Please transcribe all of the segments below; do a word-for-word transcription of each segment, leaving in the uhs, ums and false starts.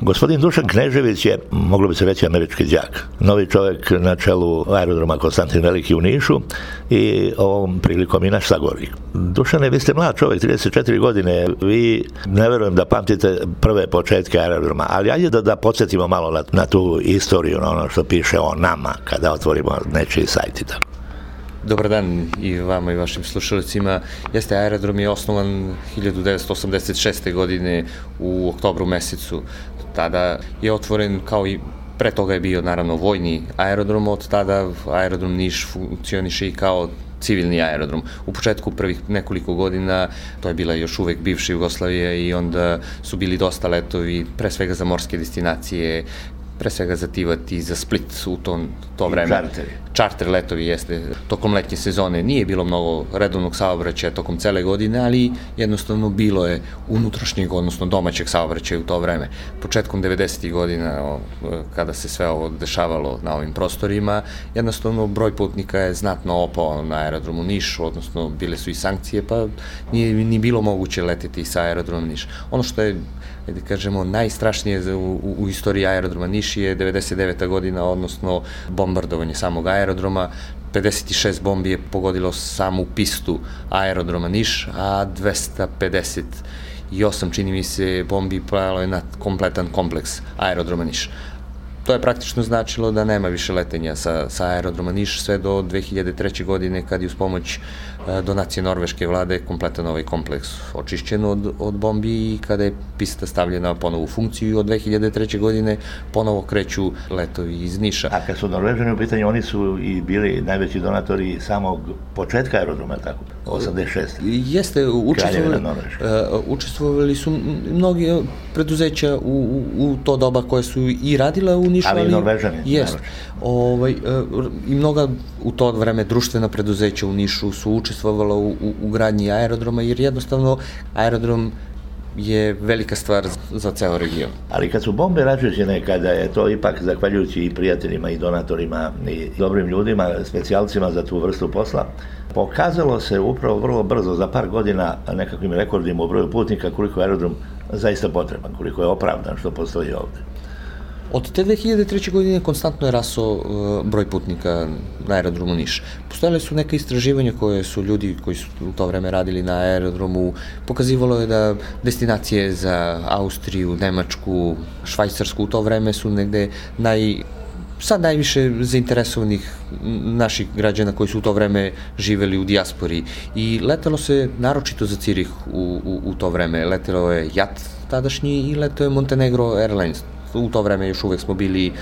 Gospodin Dušan Knežević je, moglo bi se reći, američki đak. Novi čovjek na čelu aerodroma Konstantin Veliki u Nišu i ovom prilikom i naš sagovornik. Dušane, vi ste mlad čovjek, trideset četiri godine, vi ne verujem da pamtite prve početke aerodroma, ali ajde da, da podsjetimo malo na, na tu istoriju, na ono što piše o nama kada otvorimo nečiji sajt i tako. Dobar dan i vama i vašim slušalicima. Jeste, aerodrom je osnovan hiljadu devetsto osamdeset šeste. godine u oktobru mesecu. Tada je otvoren, kao i pre toga je bio naravno vojni aerodrom, od tada aerodrom Niš funkcioniše i kao civilni aerodrom. U početku prvih nekoliko godina to je bila još uvek bivša Jugoslavija i onda su bili dosta letovi, pre svega za morske destinacije, pre svega za Tivat i za Split u to, to vreme. Čarteri. Čarter letovi jeste. Tokom letnje sezone nije bilo mnogo redovnog saobraćaja tokom cele godine, ali jednostavno bilo je unutrašnjeg, odnosno domaćeg saobraćaja u to vreme. Početkom devedesetih godina, kada se sve ovo dešavalo na ovim prostorima, jednostavno broj putnika je znatno opao na aerodromu Niš, odnosno bile su i sankcije, pa nije ni bilo moguće leteti sa aerodromom Niš. Ono što je, da kažemo, najstrašnije u, u, u istoriji aerodroma Niš je devedeset deveta. godina, odnosno bombardovanje samog aerodroma. pedeset šest bombi je pogodilo samu pistu aerodroma Niš, a dvesta pedeset osam, čini mi se, bombi palo je na kompletan kompleks aerodroma Niš. To je praktično značilo da nema više letenja sa, sa aerodroma Niš sve do dve hiljade treće. godine, kad je uz pomoć e, donacije norveške vlade kompletan ovaj kompleks očišćen od, od bombi i kada je pista stavljena ponovo u funkciju i od dve hiljade treće. godine ponovo kreću letovi iz Niša. A kad su Norvežani u pitanju, oni su i bili najveći donatori samog početka aerodroma, tako? osamdeset šeste. Jeste, učestvovali, uh, učestvovali su mnogi preduzeća u, u, u to doba koje su i radila u Nišu, ali, ali i Norvežani. Jest. Ovaj, uh, I mnoga u to vreme društvena preduzeća u Nišu su učestvovala u, u, u gradnji aerodroma, jer jednostavno aerodrom je velika stvar za ceo region. Ali kad su bombe račućene, kada je to ipak zahvaljujući i prijateljima i donatorima i dobrim ljudima, specijalcima za tu vrstu posla, pokazalo se upravo vrlo brzo, za par godina, nekakvim rekordima u broju putnika, koliko je aerodrom zaista potreban, koliko je opravdan što postoji ovde. Od te dve hiljade treće. godine konstantno je rasao uh, broj putnika na aerodromu Niš. Postojale su neka istraživanja koje su ljudi koji su u to vreme radili na aerodromu, pokazivalo je da destinacije za Austriju, Nemačku, Švajcarsku u to vreme su negde naj... sad najviše zainteresovanih naših građana koji su u to vreme živeli u dijaspori. I letelo se naročito za Cirih u, u, u to vreme. Letelo je JAT tadašnji i letelo je Montenegro Airlines. U to vreme još uvek smo bili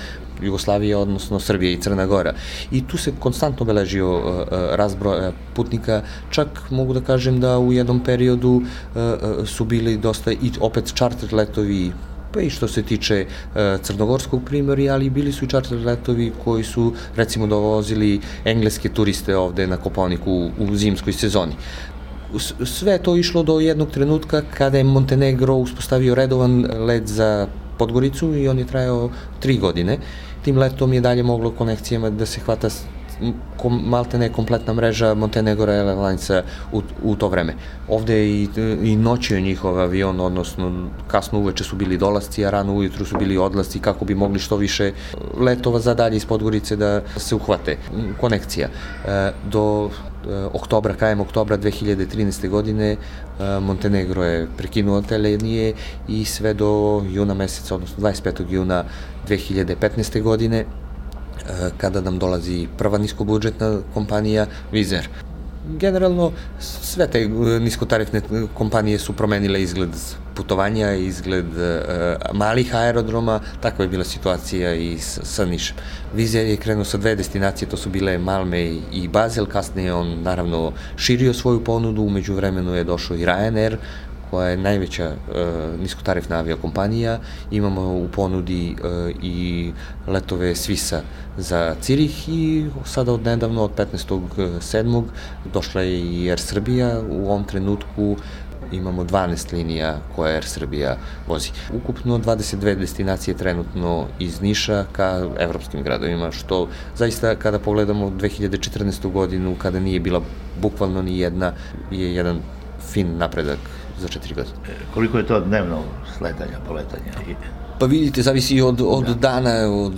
Jugoslavija, odnosno Srbija i Crna Gora. I tu se konstantno beležio uh, razbroj putnika, čak mogu da kažem da u jednom periodu uh, su bili dosta i opet čarter letovi, pa i što se tiče uh, crnogorskog primorja, ali bili su i čarter letovi koji su recimo dovozili engleske turiste ovde na Kopaoniku u, u zimskoj sezoni. Sve to išlo do jednog trenutka kada je Montenegro uspostavio redovan let za Podgoricu i on je trajao tri godine. Tim letom je dalje moglo konekcijama da se hvata kom, maltene kompletna mreža Montenegro Airlinesa u, u to vreme. Ovde je i, i noćio njihov avion, odnosno kasno uveče su bili dolasci, a rano ujutru su bili odlasci kako bi mogli što više letova za dalje iz Podgorice da se uhvate konekcija. E, do oktobra, krajem oktobra dve hiljade trinaeste. godine Montenegro je prekinuo te linije i sve do juna meseca, odnosno dvadeset petog juna dve hiljade petnaeste. godine, kada nam dolazi prva niskobudžetna kompanija Wizz Air. Generalno, sve te niskotarifne kompanije su promenile izgled putovanja, izgled uh, malih aerodroma, takva je bila situacija i s, sa Nišem. Wizz Air je krenuo sa dve destinacije, to su bile Malmö i Basel, kasnije on naravno širio svoju ponudu, umeđu vremenu je došao i Ryanair, koja je najveća uh, niskotarifna aviokompanija. Imamo u ponudi uh, i letove Svisa za Cirih i sada od nedavno, od petnaestog sedmog došla je i Air Srbija. U ovom trenutku imamo dvanaest linija koje Air Srbija vozi. Ukupno dvadeset dve destinacije trenutno iz Niša ka evropskim gradovima, što zaista kada pogledamo dve hiljade četrnaestu. godinu, kada nije bila bukvalno ni jedna, je jedan fin napredak za četiri godine. Koliko je to dnevno sletanja, poletanja? Pa vidite, zavisi od, od da. dana, od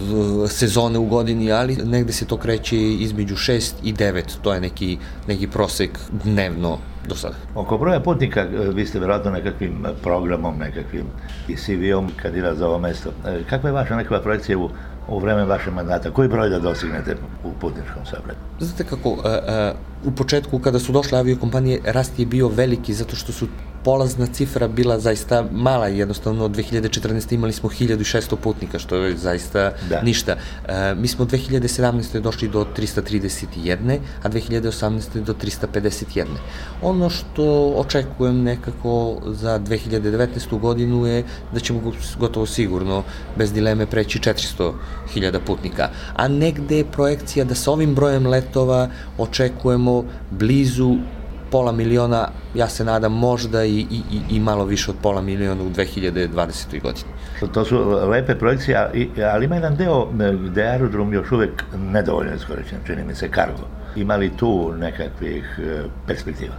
sezone u godini, ali negde se to kreće između šest i devet, to je neki, neki prosek dnevno do sada. Oko broja putnika, vi ste vjerojatno nekakvim programom, nekakvim i C V-om kandidat za ovo mesto. Kakva je vaša nekakva projekcija u, u vreme vašeg mandata? Koji broj da dostignete u putničkom saobraćaju? Znate kako, uh, uh, u početku kada su došle aviokompanije, rast je bio veliki zato što su polazna cifra bila zaista mala, jednostavno od dve hiljade četrnaeste. imali smo hiljadu šesto putnika, što je zaista da. ništa. E, mi smo dve hiljade sedamnaeste. došli do trista trideset jedan, a dve hiljade osamnaeste. do trista pedeset jedan. Ono što očekujem nekako za dve hiljade devetnaestu. godinu je da ćemo gotovo sigurno, bez dileme, preći četiristo hiljada putnika, a negde je projekcija da sa ovim brojem letova očekujemo blizu pola miliona, ja se nadam možda i, i, i malo više od pola miliona u dve hiljade dvadesetoj. godini. To su lepe projekcije, ali ima jedan deo gde je aerodrom još uvek nedovoljno iskorišćen, čini mi se, kargo. Ima li tu nekakvih perspektiva?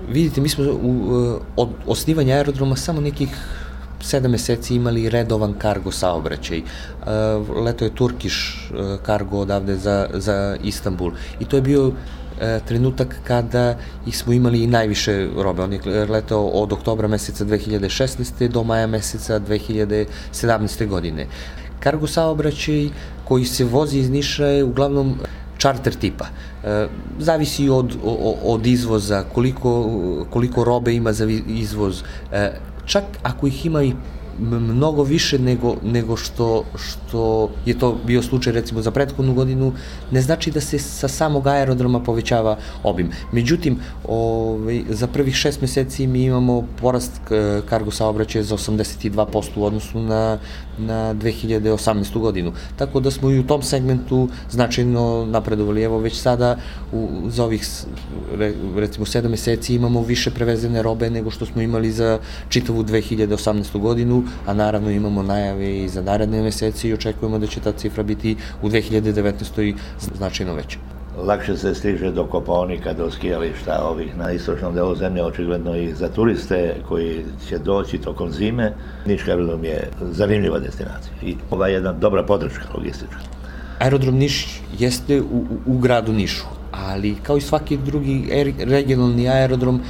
Vidite, mi smo u, od osnivanja aerodroma samo nekih sedam meseci imali redovan kargo saobraćaj. Leto je Turkish kargo odavde za, za Istanbul i to je bio trenutak kada ih smo imali i najviše robe. On je letao od oktobra meseca dve hiljade šesnaeste. do maja meseca dve hiljade sedamnaeste. godine. Kargo saobraćaj koji se vozi iz Niša je uglavnom čarter tipa. E, zavisi od, od izvoza, koliko, koliko robe ima za izvoz. E, čak ako ih ima i mnogo više nego, nego što, što je to bio slučaj recimo za prethodnu godinu, ne znači da se sa samog aerodroma povećava obim. Međutim, ovaj, za prvih šest meseci mi imamo porast kargo saobraćaja za osamdeset dva posto u odnosu na, na dve hiljade osamnaestu. godinu. Tako da smo i u tom segmentu značajno napredovali. Evo već sada u, za ovih re, recimo sedam meseci imamo više prevezene robe nego što smo imali za čitavu dve hiljade osamnaestu. godinu, a naravno imamo najave i za naredne meseci i očekujemo da će ta cifra biti u dve hiljade devetnaestoj. značajno veća. Lakše se stiže do Kopaonika, do skijališta ovih na istočnom delu zemlje, očigledno i za turiste koji će doći tokom zime. Niški aerodrom je zanimljiva destinacija i ova je jedna dobra podrška logistička. Aerodrom Niš jeste u, u, u gradu Nišu, ali kao i svaki drugi regionalni aerodrom,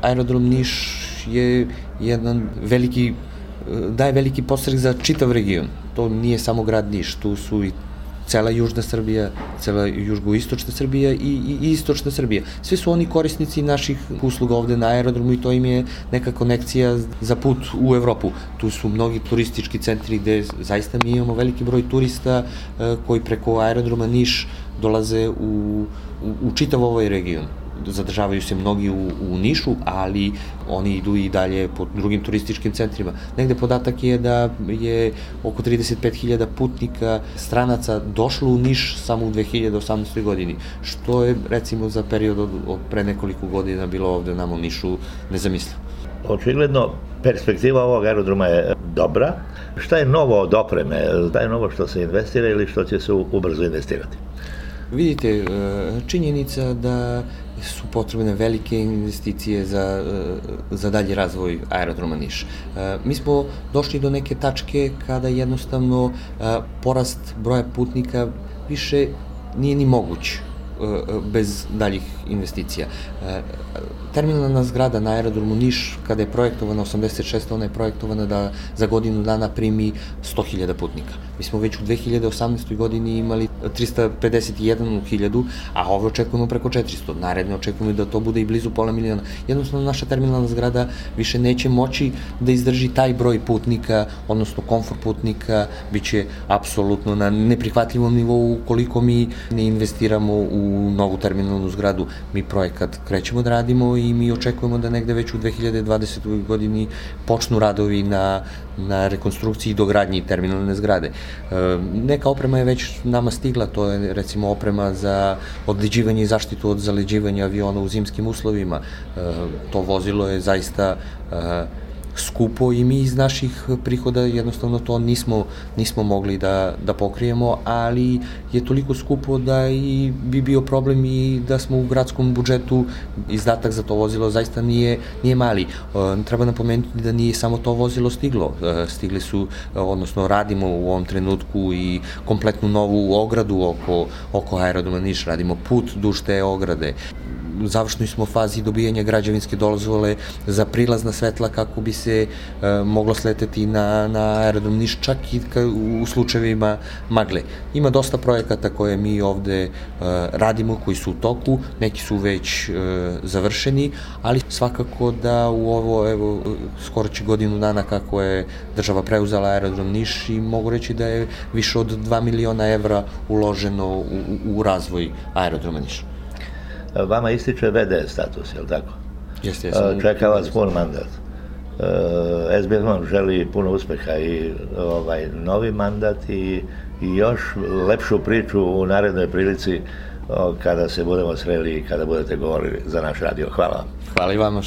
aerodrom Niš je jedan veliki daje veliki podstrek za čitav region. To nije samo grad Niš, tu su i cela južna Srbija, cela južno-istočna Srbija i, i, i istočna Srbija. Sve su oni korisnici naših usluga ovde na aerodromu i to im je neka konekcija za put u Evropu. Tu su mnogi turistički centri gde zaista mi imamo veliki broj turista e, koji preko aerodroma Niš dolaze u, u, u čitav ovaj region. Zadržavaju se mnogi u, u Nišu, ali oni idu i dalje po drugim turističkim centrima. Negde podatak je da je oko trideset pet hiljada putnika stranaca došlo u Niš samo u dve hiljade osamnaestoj. godini, što je recimo za period od, od pre nekoliko godina bilo ovde nam u Nišu nezamislivo. Očigledno, perspektiva ovog aerodroma je dobra. Šta je novo od opreme? Šta je novo što se investira ili što će se ubrzo investirati? Vidite, činjenica da su potrebne velike investicije za, za dalji razvoj aerodroma Niš. Mi smo došli do neke tačke kada jednostavno porast broja putnika više nije ni moguć bez daljih investicija. Terminalna zgrada na aerodromu Niš, kada je projektovana osamdeset šeste. ona je projektovana da za godinu dana primi sto hiljada putnika. Mi smo već u dve hiljade osamnaestoj. godini imali trista pedeset jedan hiljadu, a ove očekujemo preko četiristo. Naredne očekujemo da to bude i blizu pola miliona. Jednostavno, naša terminalna zgrada više neće moći da izdrži taj broj putnika, odnosno komfort putnika, bit će apsolutno na neprihvatljivom nivou ukoliko mi ne investiramo u novu terminalnu zgradu. Mi projekat krećemo da radimo i mi očekujemo da negde već u dve hiljade dvadesetoj. godini počnu radovi na, na rekonstrukciji i dogradnji terminalne zgrade. E, neka oprema je već nama stigla, to je recimo oprema za odleđivanje i zaštitu od zaleđivanja aviona u zimskim uslovima. E, to vozilo je zaista e, skupo i mi iz naših prihoda jednostavno to nismo, nismo mogli da, da pokrijemo, ali je toliko skupo da i bi bio problem i da smo u gradskom budžetu, izdatak za to vozilo zaista nije, nije mali. Treba napomenuti da nije samo to vozilo stiglo. Stigli su, odnosno radimo u ovom trenutku i kompletnu novu ogradu oko, oko aerodroma Niš, radimo put duž te ograde. U završnoj smo fazi dobijanja građevinske dozvole za prilazna svetla kako bi se e, moglo sleteti na, na aerodrom Niš, čak i ka, u slučajevima magle. Ima dosta projekata koje mi ovde e, radimo, koji su u toku, neki su već e, završeni, ali svakako da u ovo, evo, skoro će godinu dana kako je država preuzela aerodrom Niš i mogu reći da je više od dva miliona evra uloženo u, u razvoj aerodroma Niš. Vama ističe ve de status, je li tako? Jeste, jesam. Čeka vas pun mandat. es be es vam želi puno uspeha i ovaj, novi mandat i, i još lepšu priču u narednoj prilici kada se budemo sreli i kada budete govorili za naš radio. Hvala vam. Hvala i vama.